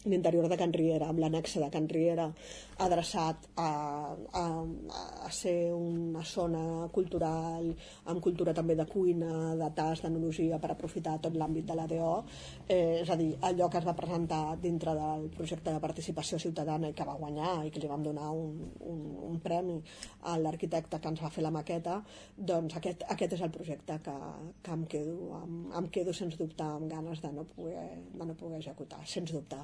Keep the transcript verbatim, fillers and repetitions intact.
l'interior de Can Riera, amb l'annexe de Can Riera, adreçat a, a, a ser una zona cultural, amb cultura també de cuina, de tas, d'enologia, per aprofitar tot l'àmbit de l'A D O. Eh, és a dir, allò que es va presentar dintre del projecte de participació ciutadana i que va guanyar i que li vam donar un, un, un premi a l'arquitecte que ens va fer la maqueta, doncs aquest, aquest és el projecte que, que em, quedo, em, em quedo sens dubte amb ganes de no poder, de no poder executar, sens dubte.